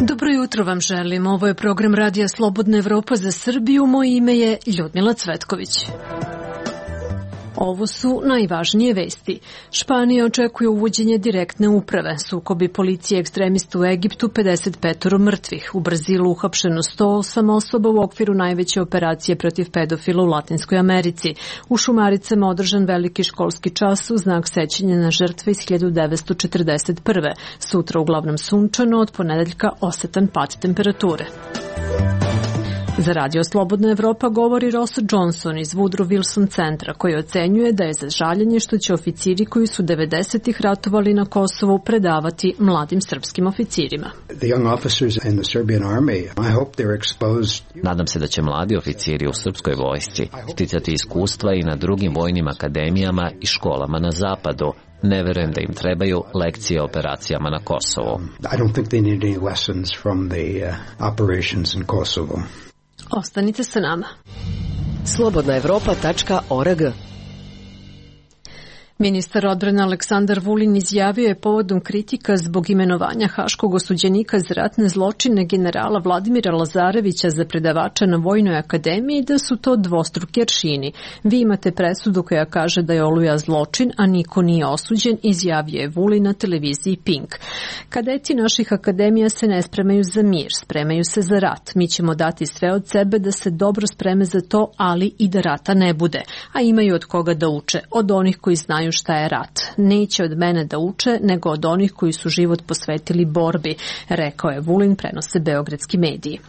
Dobro jutro vam želim. Ovo je program Radija Slobodna Evropa za Srbiju. Moje ime je Ljudmila Cvetković. Ovo su najvažnije vesti. Španija očekuje uvođenje direktne uprave. Sukobi policije ekstremista u Egiptu, 55 mrtvih. U Brazilu uhapšeno 108 osoba u okviru najveće operacije protiv pedofila u Latinskoj Americi. U Šumaricama održan veliki školski čas u znak sećanja na žrtve iz 1941. Sutra uglavnom sunčano, od ponedeljka osetan pad temperature. Za Radio Slobodna Evropa govori Ross Johnson iz Woodrow Wilson centra, koji ocenjuje da je za žaljenje što će oficiri koji su 90-ih ratovali na Kosovu predavati mladim srpskim oficirima. Nadam se da će mladi oficiri u srpskoj vojsci sticati iskustva i na drugim vojnim akademijama i školama na zapadu. Ne verujem da im trebaju lekcije o operacijama na Kosovu. Ostanite sa nama. Slobodnaevropa.org. Ministar odbrane Aleksandar Vulin izjavio je povodom kritika zbog imenovanja haškog osuđenika za ratne zločine generala Vladimira Lazarevića za predavača na Vojnoj akademiji da su to dvostruki aršini. Vi imate presudu koja kaže da je Oluja zločin, a niko nije osuđen, izjavio je Vulin na televiziji Pink. Kadeti naših akademija se ne spremaju za mir, spremaju se za rat. Mi ćemo dati sve od sebe da se dobro spreme za to, ali i da rata ne bude. A imaju od koga da uče, od onih koji znaju šta je rat. Neće od mene da uče, nego od onih koji su život posvetili borbi, rekao je Vulin, prenose beogradski mediji.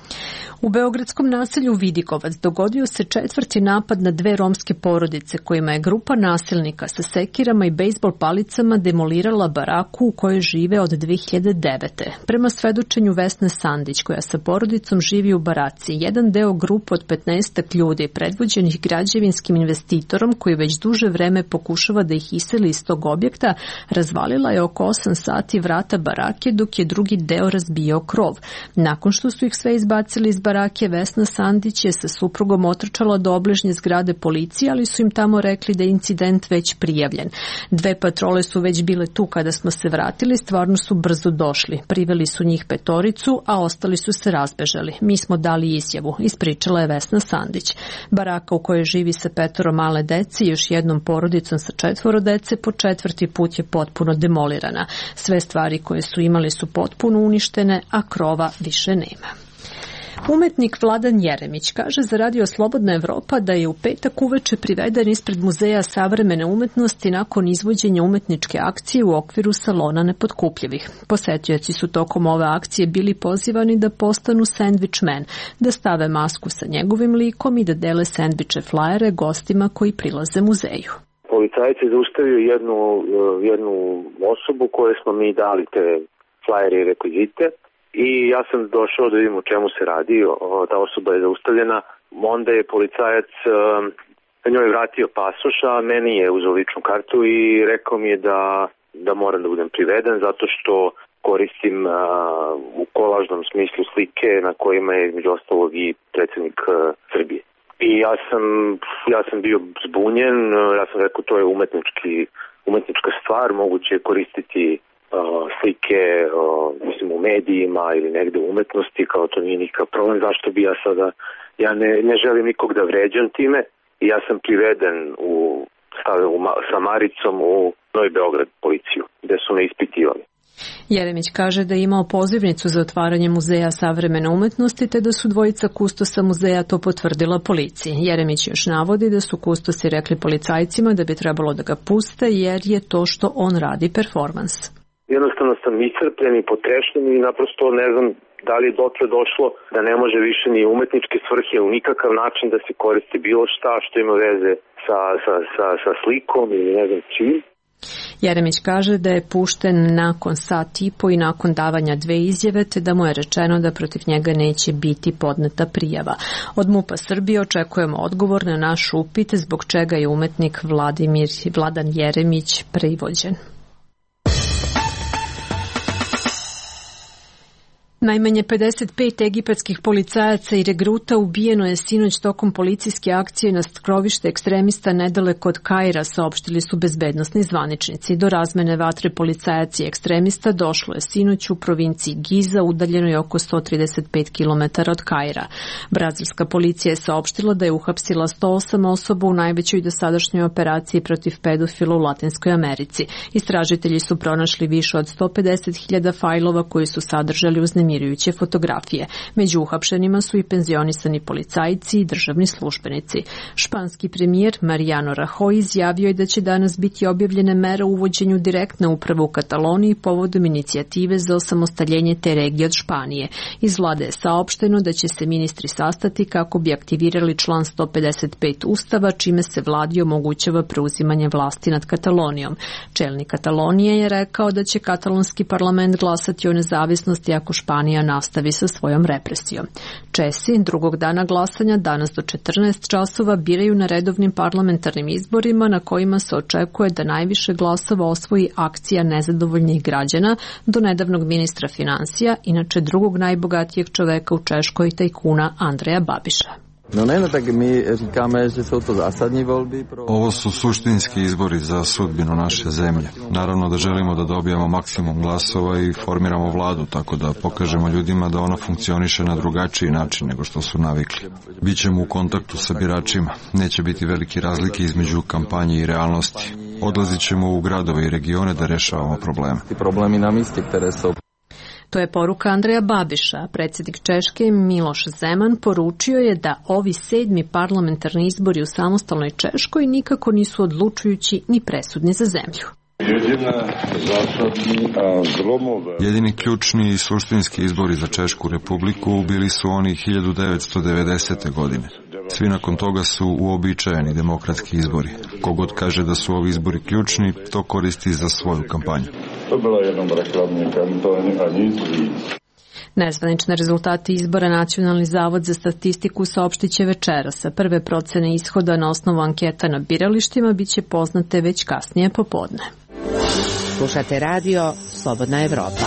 U beogradskom naselju Vidikovac dogodio se četvrti napad na dve romske porodice kojima je grupa nasilnika sa sekirama i bejsbol palicama demolirala baraku u kojoj žive od 2009. Prema svedočenju Vesne Sandić, koja sa porodicom živi u baraci, jedan deo grupe od 15 ljudi predvođenih građevinskim investitorom koji već duže vreme pokušava da ih iseli iz tog objekta, razvalila je oko 8 sati vrata barake dok je drugi deo razbijao krov. Nakon što su ih sve izbacili iz barake, Vesna Sandić je sa suprugom otrčala do obližnje zgrade policije, ali su im tamo rekli da je incident već prijavljen. Dve patrole su već bile tu kada smo se vratili, stvarno su brzo došli. Priveli su njih 5, a ostali su se razbežali. Mi smo dali izjavu, ispričala je Vesna Sandić. Baraka u kojoj živi sa 5 male dece i još jednom porodicom sa 4 dece po 4. put je potpuno demolirana. Sve stvari koje su imali su potpuno uništene, a krova više nema. Umetnik Vladan Jeremić kaže za Radio Slobodna Evropa da je u petak uveče priveden ispred Muzeja savremene umetnosti nakon izvođenja umetničke akcije u okviru salona Nepotkupljivih. Posetioci su tokom ove akcije bili pozivani da postanu sandvič men, da stave masku sa njegovim likom i da dele sandviče flajere gostima koji prilaze muzeju. Policajac je zaustavio jednu osobu koje smo mi dali te flajere i rekvizite i ja sam došao da vidim o čemu se radi. Ta osoba je zaustavljena, onda je policajac njoj vratio pasoš, a meni je uzeo ličnu kartu i rekao mi je da moram da budem priveden zato što koristim u kolažnom smislu slike na kojima je između ostalog i predsjednik Srbije. I ja sam bio zbunjen, ja sam rekao to je umetnička stvar, moguće je koristiti slike u medijima ili negde u umetnosti, kao to nije nikakav problem, zašto bi ja sada, ja ne želim nikog da vređam time i ja sam priveden sa Maricom u Novi Beograd policiju, gde su me ispitivali. Jeremić kaže da je imao pozivnicu za otvaranje Muzeja savremene umetnosti te da su dvojica kustosa muzeja to potvrdila policiji. Jeremić još navodi da su kustosi rekli policajcima da bi trebalo da ga puste jer je to što on radi performans. Jednostavno sam iscrpljen i potrešen i naprosto ne znam da li je dotle došlo da ne može više ni umetničke svrhe u nikakav način da se koristi bilo šta što ima veze sa slikom ili ne znam čim. Jeremić kaže da je pušten nakon sat i po i nakon davanja 2 izjave, te da mu je rečeno da protiv njega neće biti podneta prijava. Od MUP-a Srbije očekujemo odgovor na naš upit zbog čega je umetnik Vladan Jeremić privođen. Najmanje 55 egipatskih policajaca i regruta ubijeno je sinoć tokom policijske akcije na skrovište ekstremista nedaleko od Kaira, saopštili su bezbednosni zvaničnici. Do razmene vatre policajaca i ekstremista došlo je sinoć u provinciji Giza, udaljenoj oko 135 km od Kaira. Brazilska policija je saopštila da je uhapsila 108 osoba u najvećoj dosadašnjoj operaciji protiv pedofila u Latinskoj Americi. Istražitelji su pronašli više od 150.000 fajlova koji su sadržali uznemirujuće fotografije. Među uhapšenima su i penzionisani policajci i državni službenici. Španski premijer Mariano Rajoy izjavio je da će danas biti objavljene mere u uvođenju direktne uprave u Kataloniji povodom inicijative za osamostaljenje te regije od Španije. Iz vlade je saopšteno da će se ministri sastati kako bi aktivirali član 155 Ustava, čime se vladi omogućava preuzimanje vlasti nad Katalonijom. Čelnik Katalonije je rekao da će katalonski parlament glasati o nezavisnosti ako Španija nastavi sa svojom represijom. Česi drugog dana glasanja danas do 14 časova biraju na redovnim parlamentarnim izborima na kojima se očekuje da najviše glasova osvoji akcija nezadovoljnih građana do nedavnog ministra finansija, inače drugog najbogatijeg čoveka u Češkoj, tajkuna Andreja Babiša. Ovo su suštinski izbori za sudbinu naše zemlje. Naravno da želimo da dobijemo maksimum glasova i formiramo vladu, tako da pokažemo ljudima da ona funkcioniše na drugačiji način nego što su navikli. Bićemo u kontaktu sa biračima. Neće biti velike razlike između kampanje i realnosti. Odlazit ćemo u gradove i regione da rešavamo probleme. To je poruka Andreja Babiša. Predsjednik Češke Miloš Zeman poručio je da ovi 7. parlamentarni izbori u samostalnoj Češkoj nikako nisu odlučujući ni presudni za zemlju. Jedini ključni i suštinski izbori za Češku republiku bili su oni 1990. godine. Svi nakon toga su uobičajeni demokratski izbori. Kogod kaže da su ovi izbori ključni, to koristi za svoju kampanju. To bila jednom reklamni kampanj, a nic víc. Nezvanične rezultate izbora Nacionalni zavod za statistiku saopštit će večeras. Prve procene ishoda na osnovu anketa na biralištima biće poznate već kasnije popodne. Slušate radio Slobodna Evropa.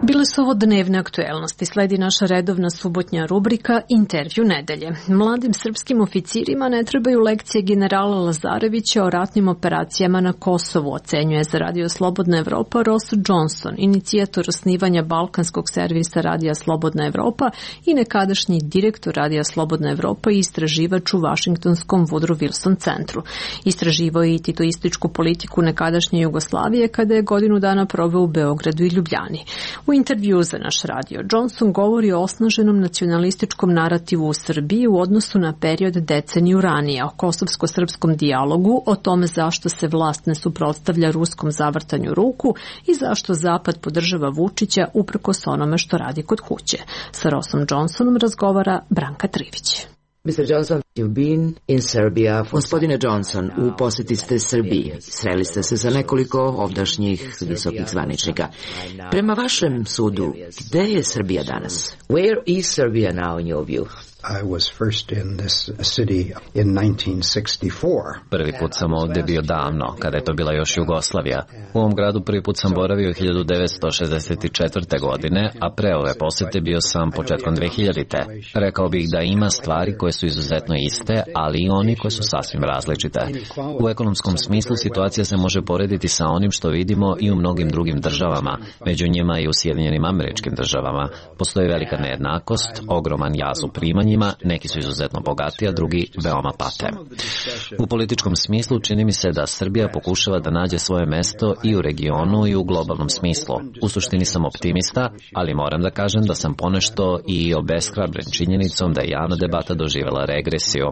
Bile su ovo dnevne aktuelnosti. Sledi naša redovna subotnja rubrika Intervju nedelje. Mladim srpskim oficirima ne trebaju lekcije generala Lazarevića o ratnim operacijama na Kosovu, ocenjuje za Radio Slobodna Evropa Ross Johnson, inicijator osnivanja balkanskog servisa Radija Slobodna Evropa i nekadašnji direktor Radija Slobodna Evropa i istraživač u Vašingtonskom Woodrow Wilson centru. Istraživao je i titoističku politiku nekadašnje Jugoslavije kada je godinu dana proveo u Beogradu i Ljubljani. U intervju za naš radio Johnson govori o osnaženom nacionalističkom narativu u Srbiji u odnosu na period deceniju ranije, o kosovsko-srpskom dijalogu, o tome zašto se vlast ne suprotstavlja ruskom zavrtanju ruku i zašto Zapad podržava Vučića uprkos onome što radi kod kuće. Sa Rossom Johnsonom razgovara Branka Trivić. Mr. Johnson, you've been in Serbia. Gospodine Johnson, u posjeti ste Srbiji. Sreli ste se sa nekoliko ovdašnjih visokih zvaničnika. Prema vašem sudu, gde je Srbija danas? Where is Serbia now in your view? I was first in this city in 1964. Prvi put sam ovdje bio davno, kada je to bila još Jugoslavija. U ovom gradu prvi put sam boravio 1964. godine, a pre ove posjete bio sam početkom 2000. Rekao bih da ima stvari koje su izuzetno iste, ali i oni koje su sasvim različite. U ekonomskom smislu situacija se može porediti sa onim što vidimo i u mnogim drugim državama, među njima i u Sjedinjenim Američkim Državama. Postoji velika nejednakost, ogroman jaz u primanjima, neki su izuzetno bogati, a drugi veoma pate. U političkom smislu čini mi se da Srbija pokušava da nađe svoje mesto i u regionu i u globalnom smislu. U suštini sam optimista, ali moram da kažem da sam ponešto i obeshrabren činjenicom da je javna debata doživjela regresiju.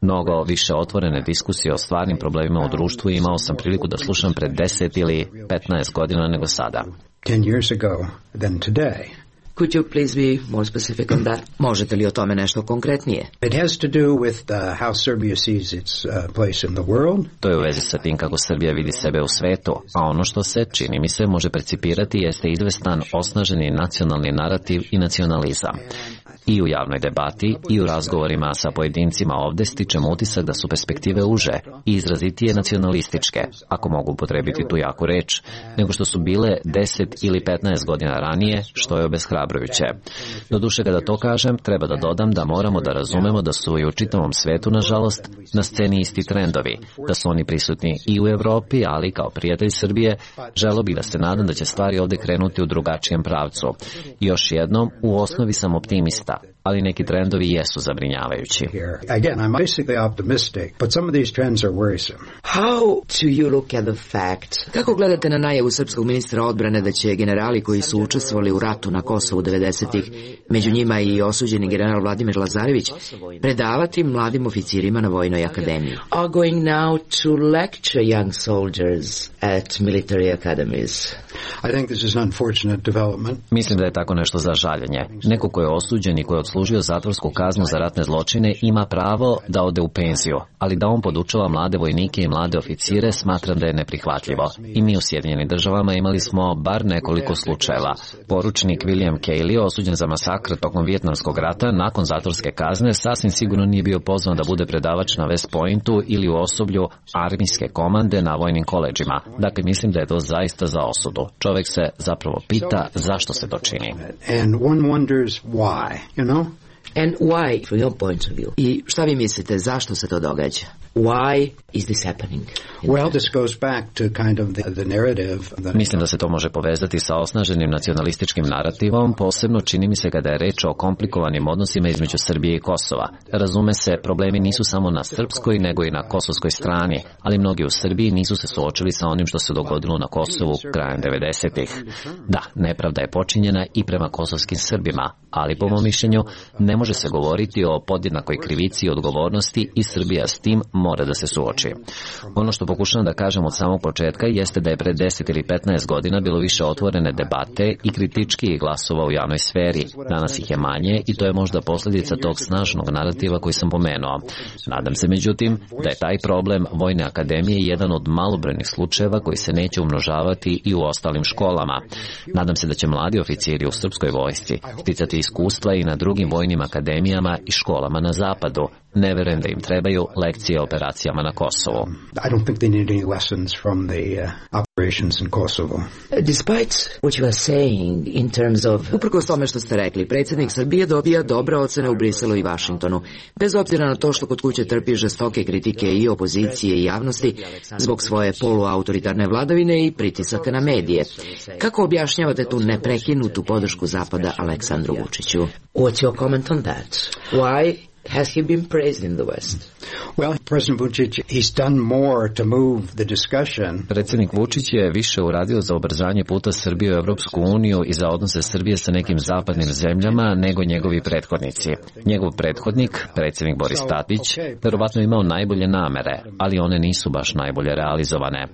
Mnogo više otvorene diskusije o stvarnim problemima u društvu imao sam priliku da slušam pred 10 ili 15 godina nego sada. 10 years ago than today. Could you please be more specific on that? Možete li o tome nešto konkretnije? It has to do with how Serbia sees its place in the world. To je u vezi sa tim kako Srbija vidi sebe u svetu, a ono što se, čini mi se, može percipirati jeste izvestan osnaženi nacionalni narativ i nacionalizam. I u javnoj debati i u razgovorima sa pojedincima ovde stičem utisak da su perspektive uže i izrazitije nacionalističke, ako mogu upotrebiti tu jaku reč, nego što su bile 10 ili 15 godina ranije, što je obeshrabrujuće. Doduše, kada to kažem, treba da dodam da moramo da razumemo da su i u čitavom svetu, nažalost, na sceni isti trendovi, da su oni prisutni i u Evropi, ali kao prijatelj Srbije, želeo bih da se nadam da će stvari ovde krenuti u drugačijem pravcu. I još jednom, u osnovi sam optimista, ali neki trendovi jesu zabrinjavajući. Again, I'm basically optimistic, but some of these trends are worrisome. How do you look at the fact? Kako gledate na najavu srpskog ministra odbrane da će generali koji su učestvovali u ratu na Kosovu 90-ih, među njima i osuđeni general Vladimir Lazarević, predavati mladim oficirima na Vojnoj akademiji? Are going now to lecture young soldiers at military academies? I think this is an unfortunate development. Mislim da je tako nešto za žaljenje. Neko ko je osuđen i ko je odslužio zatvorsku kaznu za ratne zločine ima pravo da ode u penziju, ali da on podučava mlade vojnike i mlade oficire smatram da je neprihvatljivo. I mi u Sjedinjenim Državama imali smo bar nekoliko slučajeva. Poručnik William Cayley, osuđen za masakr tokom Vijetnamskog rata, nakon zatvorske kazne sasvim sigurno nije bio pozvan da bude predavač na West Pointu ili u osoblju armijske komande na vojnim koledžima. Dakle, mislim da je to zaista za osudu. Čovek se zapravo pita zašto se to čini. And one wonders why, you know? And why, from your point of view? I šta vi mislite, zašto se to događa? Why is this happening? Well, this goes back to kind of the narrative. Mislim da se to može povezati sa osnaženim nacionalističkim narativom, posebno čini mi se kada je reč o komplikovanim odnosima između Srbije i Kosova. Razume se, problemi nisu samo na srpskoj, nego i na kosovskoj strani, ali mnogi u Srbiji nisu se suočili sa onim što se dogodilo na Kosovu krajem 90-ih. Da, nepravda je počinjena i prema kosovskim Srbima, ali po mom mišljenju ne može se govoriti o podjednakoj krivici i odgovornosti i Srbija s tim mora da se suoči. Ono što pokušavam da kažem od samog početka jeste da je pre 10 ili 15 godina bilo više otvorene debate i kritičkih glasova u javnoj sferi. Danas ih je manje i to je možda posljedica tog snažnog narativa koji sam pomenuo. Nadam se, međutim, da je taj problem Vojne akademije jedan od malobrojnih slučajeva koji se neće umnožavati i u ostalim školama. Nadam se da će mladi oficiri u srpskoj vojsci sticati iskustva i na drugim vojnim akademijama i školama na zapadu. Ne verujem da im trebaju lekcije o operacijama na Kosovu. I don't think they need any lessons from the operations in Kosovo. Despite what you are saying in terms of... Uprkos tome što ste rekli, predsjednik Srbije dobija dobre ocene u Briselu i Vašingtonu, bez obzira na to što kod kuće trpi žestoke kritike i opozicije i javnosti zbog svoje poluautoritarne vladavine i pritisaka na medije. Kako objašnjavate tu neprekinutu podršku Zapada Aleksandru Vučiću? What's your comment on that? Why has he been praised in the West? Well, President Vučić, he's done more to move the discussion. Predsjednik Vučić je više uradio za ubrzanje puta Srbije u Evropsku uniju i za odnose Srbije sa nekim zapadnim zemljama nego njegovi prethodnici. Njegov prethodnik, predsjednik Boris Tadić, verovatno imao najbolje namere, ali one nisu baš najbolje realizovane.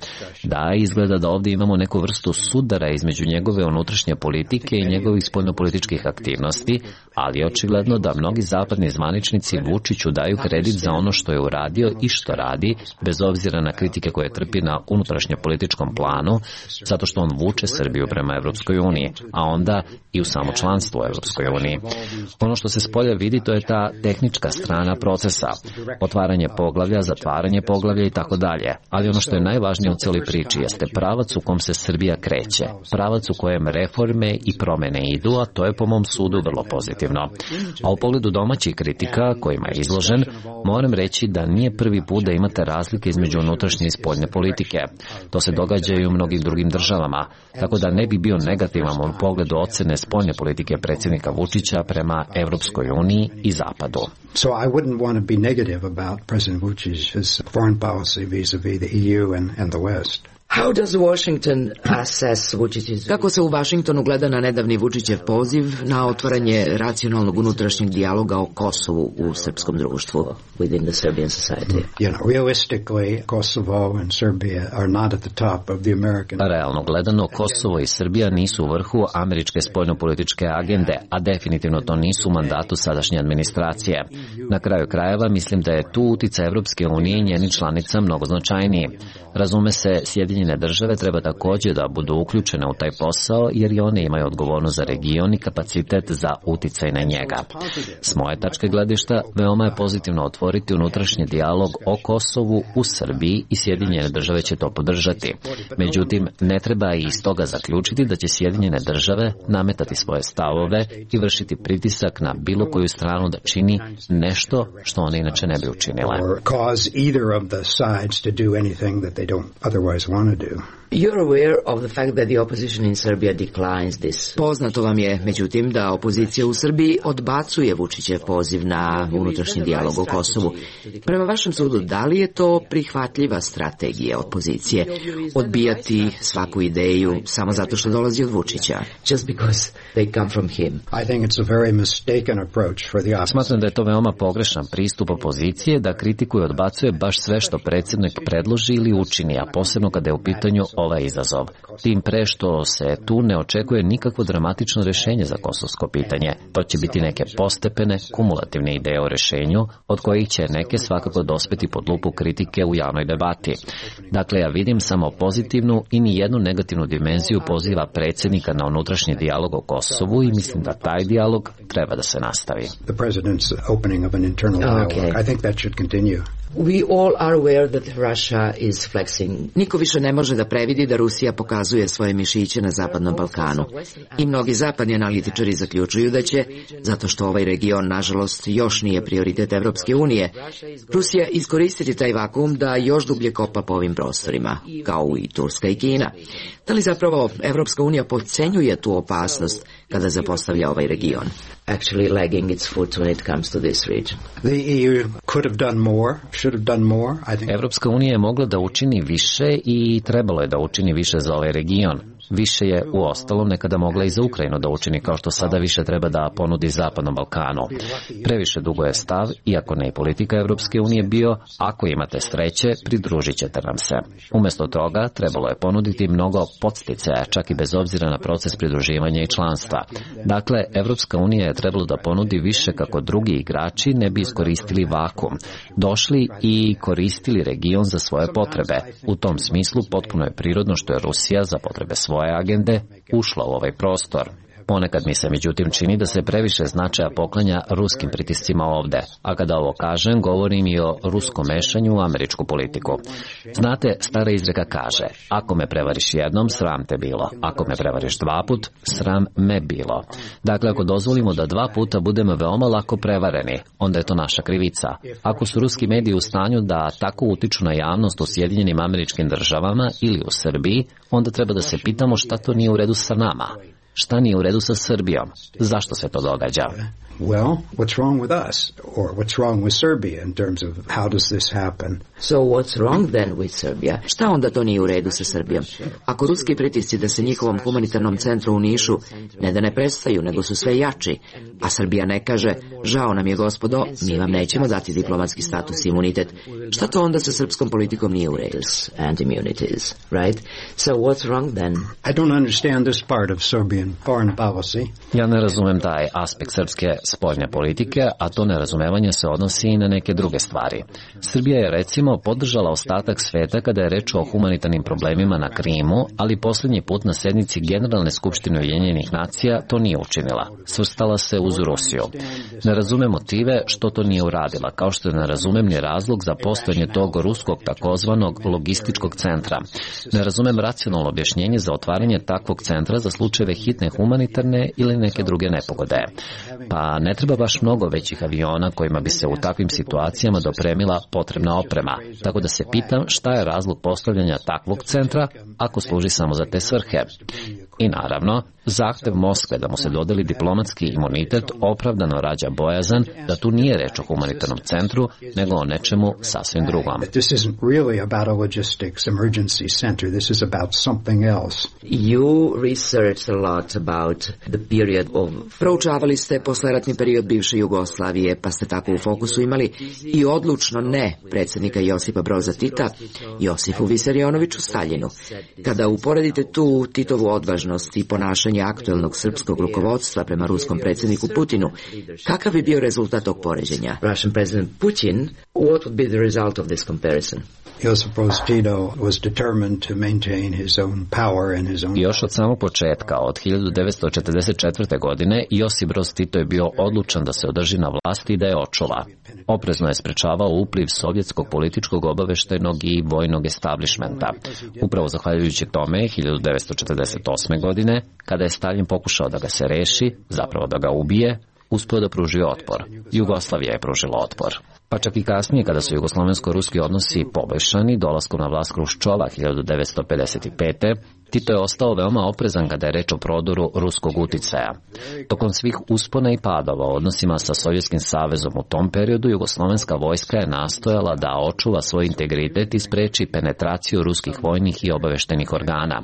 Da, izgleda da ovdje imamo neku vrstu sudara između njegove unutrašnje politike i njegovih spoljnopolitičkih aktivnosti, ali očigledno da mnogi zapadni zvaničnici Vučiću daju kredit za ono što je uradio i što radi, bez obzira na kritike koje trpi na unutrašnje političkom planu, zato što on vuče Srbiju prema Evropskoj uniji, a onda i u samo članstvo u Evropskoj uniji. Ono što se spolja vidi, to je ta tehnička strana procesa, otvaranje poglavlja, zatvaranje poglavlja i tako dalje, ali ono što je najvažnije u celoj priči jeste pravac u kom se Srbija kreće, pravac u kojem reforme i promene idu, a to je po mom sudu vrlo pozitivno. A u pogledu domaćih kritika kojima je izložen, moram reći da nije prvi put da imate razlike između unutrašnje i spoljne politike. To se događa i u mnogim drugim državama, tako da ne bi bio negativan u pogledu ocene spoljne politike predsjednika Vučića prema Evropskoj uniji i Zapadu. So I wouldn't want to be negative about President Vučić's foreign policy vis-a-vis the EU and the West. How does Washington assess Vučić's... Kako se u Vašingtonu gleda na nedavni Vučićev poziv na otvaranje racionalnog unutrašnjeg dijaloga o Kosovu u srpskom društvu, within the Serbian society? You know, realistically, Kosovo and Serbia are not at the top of the American... Realno gledano, Kosovo i Srbija nisu u vrhu američke spoljnopolitičke agende, a definitivno to nisu u mandatu sadašnje administracije. Na kraju krajeva, mislim da je tu uticaj Evropske unije i njenih članica mnogo značajniji. Razume se, Sjedinjene Sjedinjene države treba također da budu uključene u taj posao, jer i one imaju odgovornost za region i kapacitet za uticaj na njega. S moje tačke gledišta, veoma je pozitivno otvoriti unutrašnji dijalog o Kosovu u Srbiji i Sjedinjene države će to podržati. Međutim, ne treba i iz toga zaključiti da će Sjedinjene države nametati svoje stavove i vršiti pritisak na bilo koju stranu da čini nešto što one inače ne bi učinile. You're aware of the fact that the opposition in Serbia declines this. Poznato vam je, međutim, da opozicija u Srbiji odbacuje Vučićev poziv na unutrašnji dijalog o Kosovu. Prema vašem sudu, da li je to prihvatljiva strategija opozicije? Odbijati svaku ideju samo zato što dolazi od Vučića? Just because they come from him. I think it's a very mistaken approach for the opposition. Smatram da je to veoma pogrešan pristup opozicije da kritikuje i odbacuje baš sve što predsjednik predloži ili učini, a posebno kada je u pitanju ovaj izazov. Tim pre što se tu ne očekuje nikakvo dramatično rješenje za kosovsko pitanje. To će biti neke postepene, kumulativne ideje o rješenju, od kojih će neke svakako dospeti pod lupu kritike u javnoj debati. Dakle, ja vidim samo pozitivnu i nijednu negativnu dimenziju poziva predsjednika na unutrašnji dijalog o Kosovu i mislim da taj dijalog treba da se nastavi. The president's opening of an internal dialogue. I think that should continue. We all are aware that Russia is flexing. Niko više ne može da previdi da Rusija pokazuje svoje mišiće na Zapadnom Balkanu. I mnogi zapadni analitičari zaključuju da će, zato što ovaj region, nažalost, još nije prioritet Evropske unije, Rusija iskoristiti taj vakuum da još dublje kopa po ovim prostorima, kao i Turska i Kina. Da li zapravo Evropska unija podcenjuje tu opasnost kada zapostavlja ovaj region? Actually lagging its foot when it comes to this region. The EU could have done more, should have done more. I think Evropska unija je mogla da učini više i trebalo je da učini više za ovaj region. Više je u ostalom nekada mogla i za Ukrajinu da učini, kao što sada više treba da ponudi Zapadnom Balkanu. Previše dugo je stav, iako ne i politika Evropske unije bio, ako imate sreće, pridružit ćete nam se. Umjesto toga trebalo je ponuditi mnogo podsticaja, čak i bez obzira na proces pridruživanja i članstva. Dakle, Evropska unija je trebalo da ponudi više kako drugi igrači ne bi iskoristili vakuum, došli i koristili region za svoje potrebe. U tom smislu potpuno je prirodno što je Rusija za potrebe svoje agende ušla u ovaj prostor. Ponekad mi se međutim čini da se previše značaja poklanja ruskim pritiscima ovde, a kada ovo kažem, govorim i o ruskom mešanju u američku politiku. Znate, stara izreka kaže, ako me prevariš jednom, sram te bilo, ako me prevariš dva put, sram me bilo. Dakle, ako dozvolimo da dva puta budemo veoma lako prevareni, onda je to naša krivica. Ako su ruski mediji u stanju da tako utiču na javnost u Sjedinjenim Američkim Državama ili u Srbiji, onda treba da se pitamo šta to nije u redu sa nama. Šta nije u redu sa Srbijom? Zašto se to događa? Well, what's wrong with us? Or what's wrong with Serbia in terms of how does this happen? So what's wrong then with Serbia? Šta onda to nije u redu sa Srbijom? Ako ruski pritisci da se njihovom humanitarnom centru u Nišu ne da ne prestaju, nego su sve jači, a Srbija ne kaže, žao nam je gospodo, mi vam nećemo dati diplomatski status i imunitet, šta to onda sa srpskom politikom nije u redu? And immunities, right? So what's wrong then? I don't understand this part of Serbian foreign policy. Ja ne razumem taj aspekt srpske spoljne politike, a to nerazumevanje se odnosi i na neke druge stvari. Srbija je recimo podržala ostatak sveta kada je reč o humanitarnim problemima na Krimu, ali posljednji put na sednici Generalne skupštine Ujedinjenih nacija to nije učinila. Svrstala se uz Rusiju. Ne razumem motive što to nije uradila, kao što ne razumem ni razlog za postojanje tog ruskog takozvanog logističkog centra. Ne razumem racionalno objašnjenje za otvaranje takvog centra za slučajeve hitne humanitarne ili neke druge nepogode. Pa ne treba baš mnogo većih aviona kojima bi se u takvim situacijama dopremila potrebna oprema, tako da se pitam šta je razlog postavljanja takvog centra ako služi samo za te svrhe. I naravno, zahtev Moskve da mu se dodeli diplomatski imunitet opravdano rađa bojazan da tu nije reč o humanitarnom centru, nego o nečemu sasvim drugom. You researched a lot about the period of... Proučavali ste posleratni period bivše Jugoslavije, pa ste tako u fokusu imali i odlučno ne predsjednika Josipa Broza Tita, Josifu Visarionoviću Staljinu. Kada uporedite tu Titovu odvažnost i ponašanje aktuelnog srpskog rukovodstva prema ruskom predsjedniku Putinu, kakav bi bio rezultat tog poređenja? Russian President Putin, what would be the result of this comparison? Josip Broz Tito was determined to maintain his own power and his own... Još od samog početka, od 1944. godine, Josip Broz Tito je bio odlučan da se održi na vlasti i da je očuva. Oprezno je sprečavao upliv sovjetskog političkog, obaveštajnog i vojnog establishmenta. Upravo zahvaljujući tome, 1948. godine, kada je Stalin pokušao da ga se reši, zapravo da ga ubije, uspio da pruži otpor. Jugoslavija je pružila otpor. Pa čak i kasnije, kada su jugoslovensko-ruski odnosi poboljšani, dolaskom na vlast Hruščova 1955. Tito je ostao veoma oprezan kada je reč o prodoru ruskog uticaja. Tokom svih uspona i padova u odnosima sa Sovjetskim savezom u tom periodu, jugoslovenska vojska je nastojala da očuva svoj integritet i spreči penetraciju ruskih vojnih i obaveštenih organa.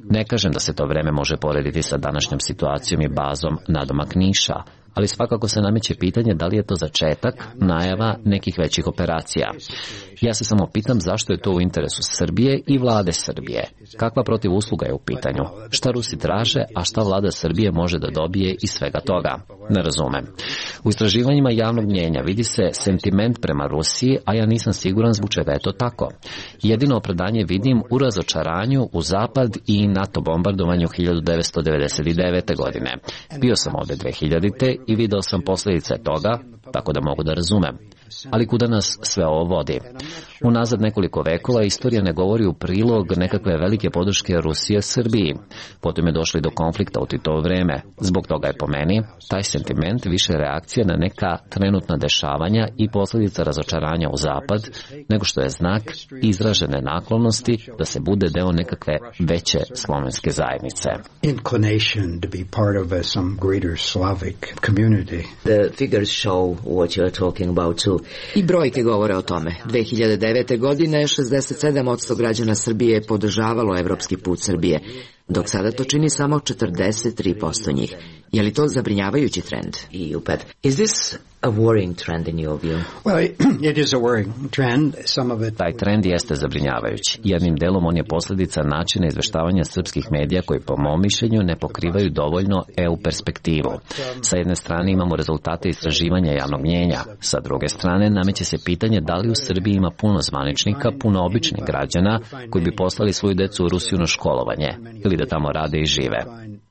Ne kažem da se to vreme može porediti sa današnjom situacijom i bazom nadomak Niša, ali svakako se nameće pitanje da li je to začetak, najava nekih većih operacija. Ja se samo pitam zašto je to u interesu Srbije i vlade Srbije. Kakva protivusluga je u pitanju? Šta Rusi traže, a šta vlada Srbije može da dobije iz svega toga? Ne razumem. U istraživanjima javnog mnjenja vidi se sentiment prema Rusiji, a ja nisam siguran zbog čega je to tako. Jedino opravdanje vidim u razočaranju u Zapad i NATO bombardovanju 1999. godine. Bio sam ovde 2000. i video sam posljedice toga, tako da mogu da razumem. Ali kuda nas sve ovo vodi? Unazad nekoliko vekova istorija ne govori u prilog nekakve velike podrške Rusije Srbiji. Potom je došli do konflikta u Titovo vreme. Zbog toga je po meni taj sentiment više reakcija na neka trenutna dešavanja i posljedica razočaranja u Zapad, nego što je znak izražene naklonosti da se bude deo nekakve veće slovenske zajednice. Inclination to be part of some greater Slavic community. The figures show what you are talking about too. I brojke govore o tome. 2009. godine 67% građana Srbije je podržavalo evropski put Srbije, dok sada to čini samo 43% njih. Je li to zabrinjavajući trend? Is this a worrying trend in your view? Well, it is a worrying trend. Some of it... Taj trend jeste zabrinjavajući. Jednim delom on je posljedica načina izveštavanja srpskih medija koji po mom mišljenju ne pokrivaju dovoljno EU perspektivu. Sa jedne strane imamo rezultate istraživanja javnog mnjenja. Sa druge strane nameće se pitanje da li u Srbiji ima puno zvaničnika, puno običnih građana koji bi poslali svoju decu u Rusiju na školovanje ili da tamo rade i žive.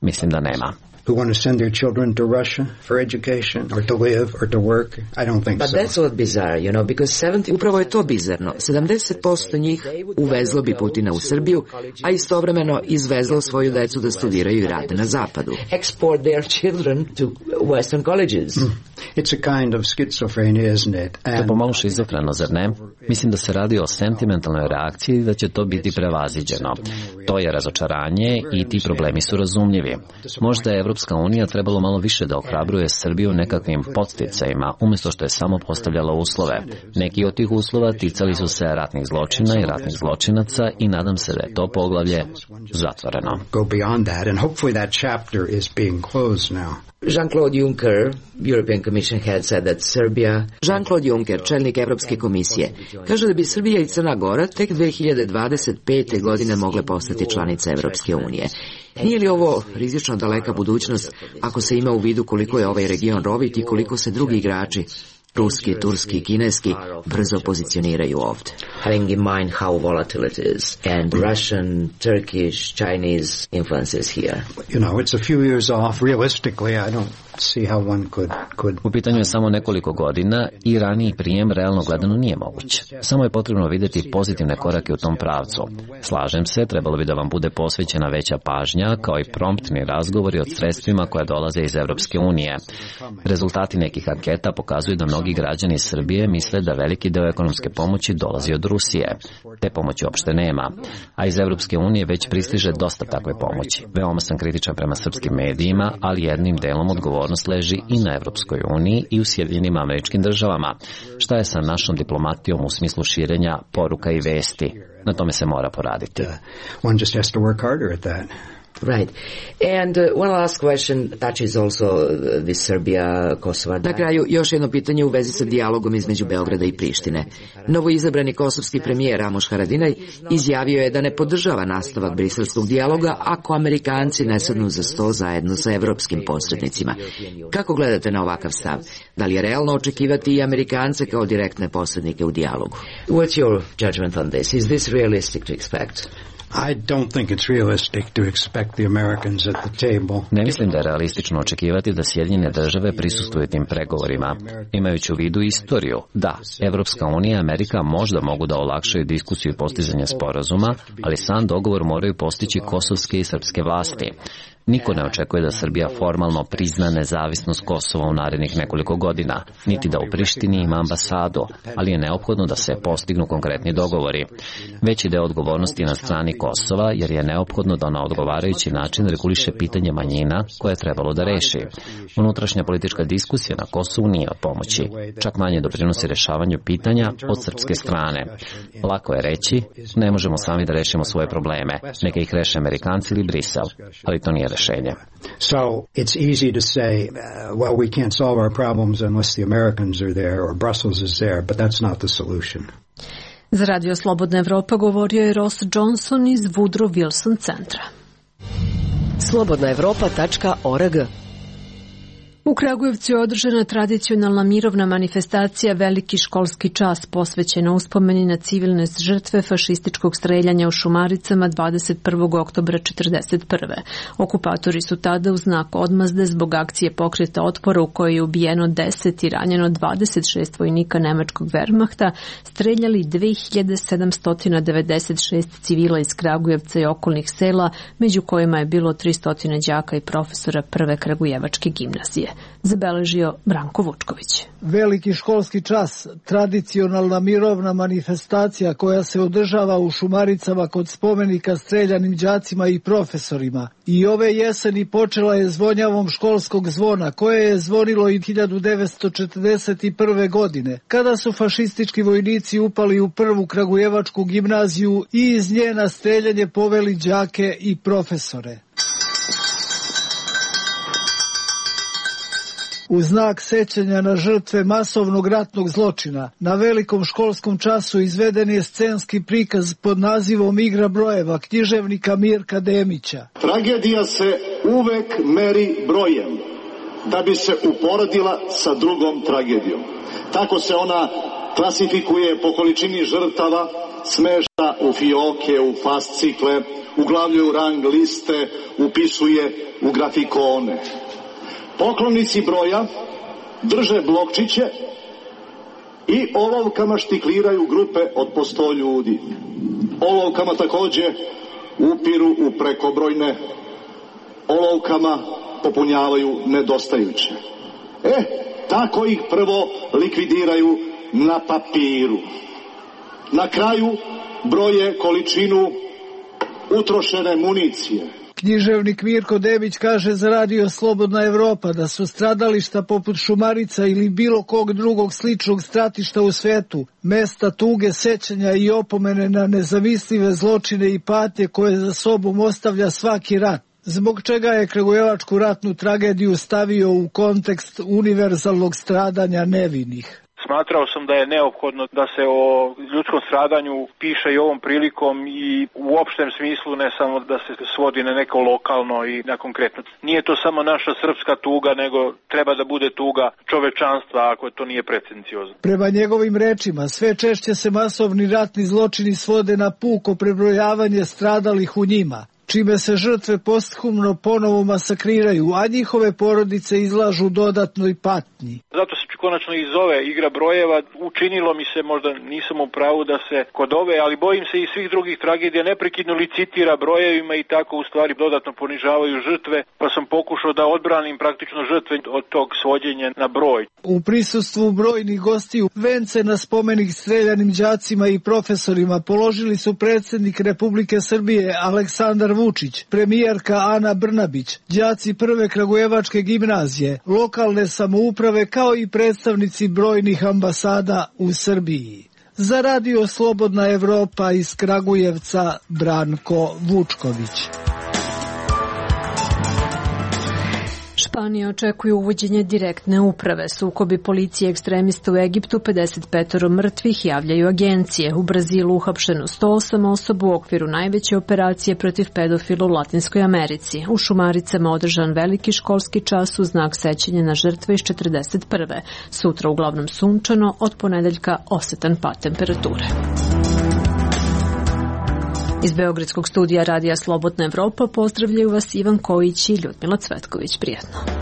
Mislim da nema. Who want to send their children to Russia for education or to live or to work? I don't think so. But that's what bizarre, you know, because 70... Upravo je to bizarno. 70% njih uvezlo bi Putina u Srbiju, a istovremeno izvezlo svoju decu da studiraju i rade na zapadu. Export their children to Western colleges. It's a kind of schizophrenia, isn't it? To je pomalo šizofreno, zar ne? Mislim da se radi o sentimentalnoj reakciji i da će to biti prevaziđeno. To je razočaranje i ti problemi su razumljivi. Možda je Evropska unija trebalo malo više da ohrabruje Srbiju nekakvim podsticajima, umjesto što je samo postavljala uslove. Neki od tih uslova ticali su se ratnih zločina i ratnih zločinaca i nadam se da je to poglavlje zatvoreno. Jean-Claude Juncker, European Commission head, said that Serbia... Jean-Claude Juncker, čelnik Evropske komisije, kaže da bi Srbija i Crna Gora tek 2025. godine mogle postati članice Evropske unije. Nije li ovo rizično daleka budućnost ako se ima u vidu koliko je ovaj region rovit i koliko se drugi igrači, ruski, turski i kineski, brzo pozicioniraju ovde? Having in mind how volatile it is and Russian, Turkish, Chinese influences here. You know, it's a few years off. Realistically, I don't see how one could... U pitanju je samo nekoliko godina i raniji prijem realno gledano nije moguć. Samo je potrebno vidjeti pozitivne korake u tom pravcu. Slažem se, trebalo bi da vam bude posvećena veća pažnja, kao i promptni razgovori o sredstvima koja dolaze iz Evropske unije. Rezultati nekih anketa pokazuju da mnogi građani Srbije misle da veliki deo ekonomske pomoći dolazi od Rusije. Te pomoći uopšte nema, a iz Evropske unije već pristiže dosta takve pomoći. Veoma sam kritičan prema srpskim medijima, ali jednim delom odgovornost leži i na Evropskoj uniji i u Sjedinjenim Američkim Državama. Šta je sa našom diplomatijom u smislu širenja poruka i vesti? Na tome se mora poraditi. One just has to work harder at that. Right. And one last question touches also with Serbia-Kosovo. Na kraju, još jedno pitanje u vezi sa dijalogom između Beograda i Prištine. Novoizabrani kosovski premijer Ramuš Haradinaj izjavio je da ne podržava nastavak briselskog dijaloga ako Amerikanci ne sednu za sto zajedno sa evropskim posrednicima. Kako gledate na ovakav stav? Da li je realno očekivati i Amerikance kao direktne posrednike u dijalogu? What's your judgment on this? Is this realistic to expect? I don't think it's realistic to expect the Americans at the table. Ne mislim da je realistično očekivati da Sjedinjene države prisustvuju tim pregovorima. Imajući u vidu istoriju, da, Evropska unija i Amerika možda mogu da olakšaju diskusiju i postizanje sporazuma, ali sam dogovor moraju postići kosovske i srpske vlasti. Niko ne očekuje da Srbija formalno prizna nezavisnost Kosova u narednih nekoliko godina, niti da u Prištini ima ambasadu, ali je neophodno da se postignu konkretni dogovori. Veći deo odgovornosti na strani Kosova, jer je neophodno da na odgovarajući način reguliše pitanje manjina koje je trebalo da reši. Unutrašnja politička diskusija na Kosovu nije od pomoći, čak manje doprinosi rešavanju pitanja od srpske strane. Lako je reći, ne možemo sami da rešimo svoje probleme, neka ih reše Amerikanci ili Brisel, ali to nije rešenje. So it's easy to say, well, we can't solve our problems unless the Americans are there or Brussels is there, but that's not the solution. Za Radio Slobodna Evropa govorio je Ross Johnson iz Woodrow Wilson centra. slobodnaevropa.org. U Kragujevcu je održana tradicionalna mirovna manifestacija Veliki školski čas posvećena uspomeni na civilne žrtve fašističkog streljanja u Šumaricama 21. oktobra 1941. Okupatori su tada u znak odmazde zbog akcije pokreta otpora u kojoj je ubijeno 10 i ranjeno 26 vojnika nemačkog Wehrmachta streljali 2796 civila iz Kragujevca i okolnih sela, među kojima je bilo 300 đaka i profesora Prve kragujevačke gimnazije. Zabeležio Branko Vučković. Veliki školski čas, tradicionalna mirovna manifestacija koja se održava u Šumaricama kod spomenika streljanim đacima i profesorima. I ove jeseni počela je zvonjavom školskog zvona, koje je zvonilo i 1941. godine, kada su fašistički vojnici upali u Prvu kragujevačku gimnaziju i iz nje na streljanje poveli đake i profesore. U znak sećanja na žrtve masovnog ratnog zločina, na velikom školskom času izveden je scenski prikaz pod nazivom Igra brojeva književnika Mirka Demića. Tragedija se uvek meri brojem, da bi se uporedila sa drugom tragedijom. Tako se ona klasifikuje po količini žrtava, smešta u fioke, u fascikle, uglavljuje u rang liste, upisuje u grafikone. Poklonici broja drže blokčiće i olovkama štikliraju grupe od po 100 ljudi. Olovkama takođe upiru u prekobrojne, olovkama popunjavaju nedostajuće. Tako ih prvo likvidiraju na papiru. Na kraju broje količinu utrošene municije. Književnik Mirko Demić kaže za Radio Slobodna Evropa da su stradališta poput Šumarica ili bilo kog drugog sličnog stratišta u svetu, mesta tuge, sećanja i opomene na nezamislive zločine i patnje koje za sobom ostavlja svaki rat. Zbog čega je kragujevačku ratnu tragediju stavio u kontekst univerzalnog stradanja nevinih. Smatrao sam da je neophodno da se o ljudskom stradanju piše i ovom prilikom i u opštem smislu, ne samo da se svodi na neko lokalno i na konkretno. Nije to samo naša srpska tuga, nego treba da bude tuga čovečanstva ako to nije pretenciozno. Prema njegovim rečima, sve češće se masovni ratni zločini svode na puko prebrojavanje stradalih u njima, čime se žrtve posthumno ponovo masakriraju, a njihove porodice izlažu dodatnoj patnji. Zato se konačno iz ove Igra brojeva učinilo mi se, možda nisam u pravu da se kod ove, ali bojim se i svih drugih tragedija neprekidno licitira brojevima i tako u stvari dodatno ponižavaju žrtve, pa sam pokušao da odbranim praktično žrtve od tog svođenja na broj. U prisustvu brojnih gostiju vence na spomenik streljanim đacima i profesorima položili su predsjednik Republike Srbije Aleksandar Vučić, premijerka Ana Brnabić, đaci Prve kragujevačke gimnazije, lokalne samouprave kao i predstavnici brojnih ambasada u Srbiji. Za Radio Slobodna Evropa iz Kragujevca Branko Vučković. Španija očekuje uvođenje direktne uprave. Sukobi policije i ekstremista u Egiptu, 55 mrtvih, javljaju agencije. U Brazilu uhapšeno 108 osoba u okviru najveće operacije protiv pedofila u Latinskoj Americi. U Šumaricama održan veliki školski čas u znak sećanja na žrtve iz 41. Sutra uglavnom sunčano, od ponedeljka osetan pad temperature. Iz Beogradskog studija Radija Slobodna Evropa pozdravljaju vas Ivan Kojić i Ljudmila Cvetković. Prijatno.